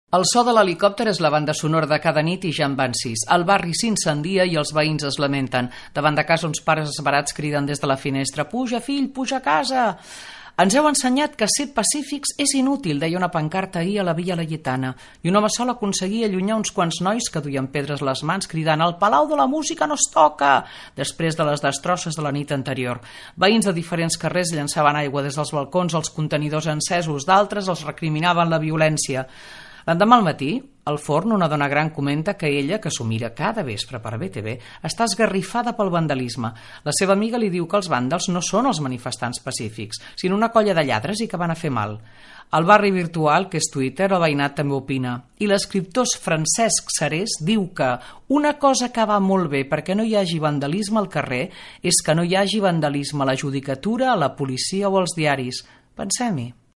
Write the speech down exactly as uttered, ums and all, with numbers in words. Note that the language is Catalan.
El so de l'helicòpter és la banda sonora de cada nit i ja en van sis. El barri s'incendia i els veïns es lamenten. Davant de casa uns pares esverats criden des de la finestra: «Puja, fill, puja a casa!» Ens heu ensenyat que ser pacífics és inútil, deia una pancarta ahir a la Via Laietana, i un home sol aconseguia allunyar uns quants nois que duien pedres a les mans cridant: «El Palau de la Música no es toca!» després de les destrosses de la nit anterior. Veïns de diferents carrers llançaven aigua des dels balcons als contenidors encesos, d'altres els recriminaven la violència. L'endemà al matí, al forn, una dona gran comenta que ella, que s'ho mira cada vespre per B T V, està esgarrifada pel vandalisme. La seva amiga li diu que els vàndals no són els manifestants pacífics, sinó una colla de lladres i que van a fer mal. Al barri virtual, que és Twitter, el veïnat també opina. I l'escriptor Francesc Sarés diu que una cosa que va molt bé perquè no hi hagi vandalisme al carrer és que no hi hagi vandalisme a la judicatura, a la policia o als diaris. Pensem-hi.